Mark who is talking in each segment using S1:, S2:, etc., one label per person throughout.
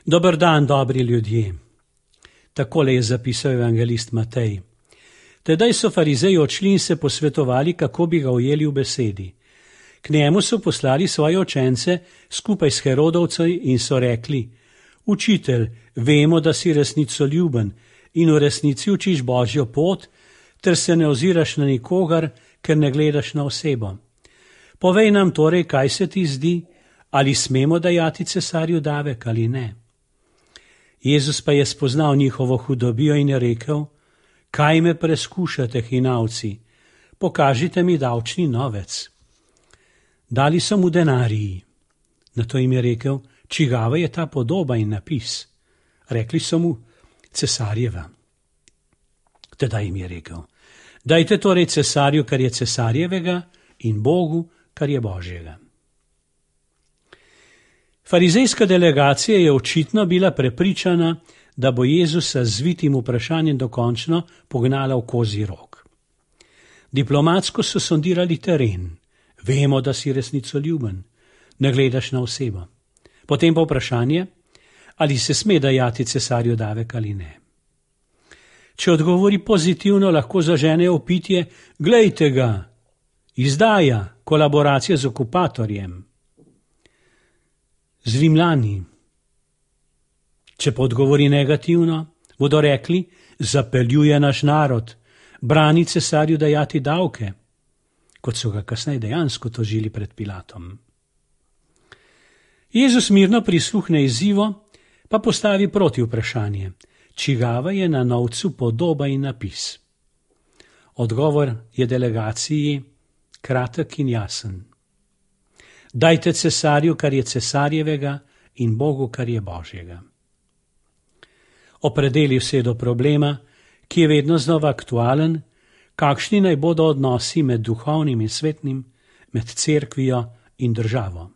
S1: Dober dan, dobri ljudje. Takole je zapisal evangelist Matej. Tedaj so farizeji odšli in se posvetovali, kako bi ga ujeli v besedi. K njemu so poslali svoje učence skupaj s Herodovci in so rekli: Učitelj, vemo, da si resnicoljuben in v resnici učiš Božjo pot, ter se ne oziraš na nikogar, ker ne gledaš na osebo. Povej nam torej, kaj se ti zdi, ali smemo dajati cesarju davek ali ne. Jezus pa je spoznal njihovo hudobijo in je rekel: Kaj me preskušate, hinavci? Pokažite mi davčni novec. Dali so mu denariji. Nato jim je rekel: Čigava je ta podoba in napis? Rekli so mu: Cesarjeva. Tedaj jim je rekel: Dajte torej cesarju, kar je cesarjevega, in Bogu, kar je Božjega. Farizejska delegacija je očitno bila prepričana, da bo Jezusa z zvitim vprašanjem dokončno pognala v kozji rog. Diplomatsko so sondirali teren. Vemo, da si resnicoljuben, ne gledaš na osebo. Potem pa vprašanje, ali se sme dajati cesarju davek ali ne. Če odgovori pozitivno, lahko zaženejo vpitje: Glejte ga, izdaja, kolaboracija z okupatorjem. Z Rimljani. Če pa odgovori negativno, bodo rekli: Zapeljuje naš narod, brani cesarju dajati davke, kot so ga kasneje dejansko tožili pred Pilatom. Jezus mirno prisluhne izzivu, pa postavi proti vprašanje: Čigava je na novcu podoba in napis? Odgovor je delegaciji kratek in jasen. Dajte cesarju, kar je cesarjevega, in Bogu, kar je Božjega. Opredeli vse do problema, ki je vedno znova aktualen, kakšni naj bodo odnosi med duhovnim in svetnim, med cerkvijo in državo.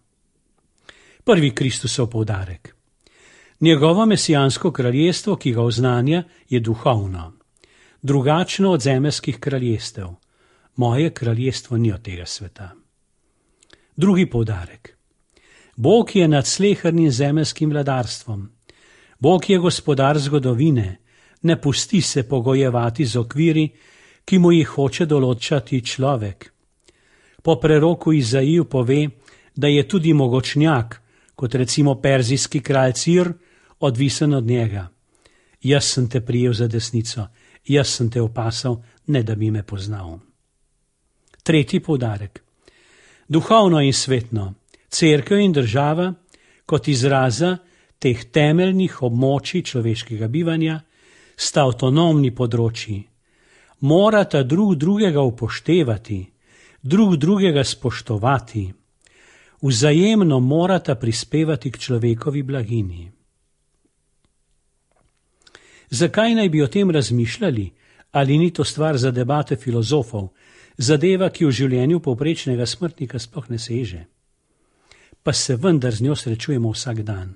S1: Prvi Kristusov poudarek. Njegovo mesijansko kraljestvo, ki ga oznanja, je duhovno, drugačno od zemeljskih kraljestev. Moje kraljestvo ni od tega sveta. Drugi poudarek. Bog je nad slehernim zemeljskim vladarstvom. Bog je gospodar zgodovine, ne pusti se pogojevati z okviri, ki mu jih hoče določati človek. Po preroku Izaiju pove, da je tudi mogočnjak, kot recimo perzijski kralj Cir, odvisen od njega. Jaz sem te prijel za desnico, jaz sem te opasal, ne da bi me poznal. Tretji poudarek. Duhovno in svetno, cerkev in država, kot izraza teh temeljnih območij človeškega bivanja, sta avtonomni področji. Morata drug drugega upoštevati, drug drugega spoštovati, vzajemno morata prispevati k človekovi blagini. Zakaj naj bi o tem razmišljali, ali ni to stvar za debate filozofov, zadeva, ki v življenju povprečnega smrtnika sploh ne seže? Pa se vendar z njo srečujemo vsak dan.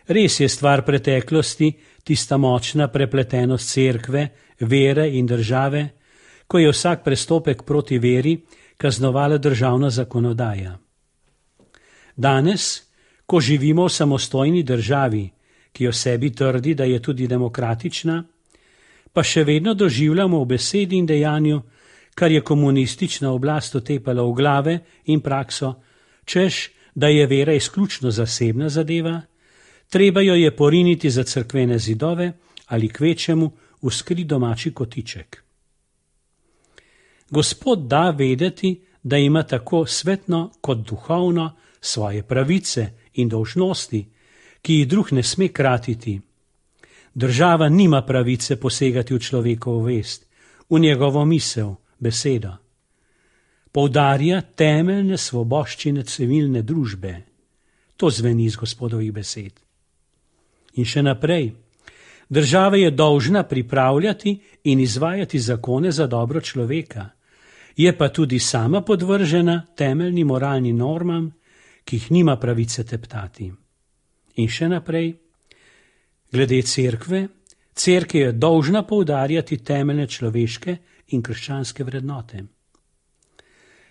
S1: Res je stvar preteklosti tista močna prepletenost cerkve, vere in države, ko je vsak prestopek proti veri kaznovala državna zakonodaja. Danes, ko živimo v samostojni državi, ki o sebi trdi, da je tudi demokratična, pa še vedno doživljamo v besedi in dejanju, kar je komunistična oblast otepala v glave in prakso, češ, da je vera izključno zasebna zadeva, treba jo je poriniti za cerkvene zidove ali kvečemu v skrit domači kotiček. Gospod da vedeti, da ima tako svetno kot duhovno svoje pravice in dolžnosti, ki jih drug ne sme kratiti. Država nima pravice posegati v človekovo vest, v njegovo misel, besedo. Poudarja temeljne svoboščine civilne družbe. To zveni iz Gospodovih besed. In še naprej. Država je dolžna pripravljati in izvajati zakone za dobro človeka. Je pa tudi sama podvržena temeljnim moralnim normam, ki jih nima pravice teptati. In še naprej. Glede cerkve, cerkev je dolžna poudarjati temeljne človeške in krščanske vrednote.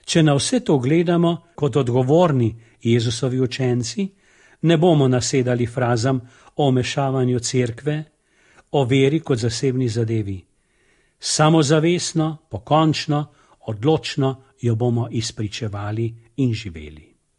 S1: Če na vse to gledamo kot odgovorni Jezusovi učenci, Ne bomo nasedali frazam o vmešavanju cerkve, o veri kot zasebni zadevi. Samozavestno, pokončno, odločno jo bomo izpričevali in živeli.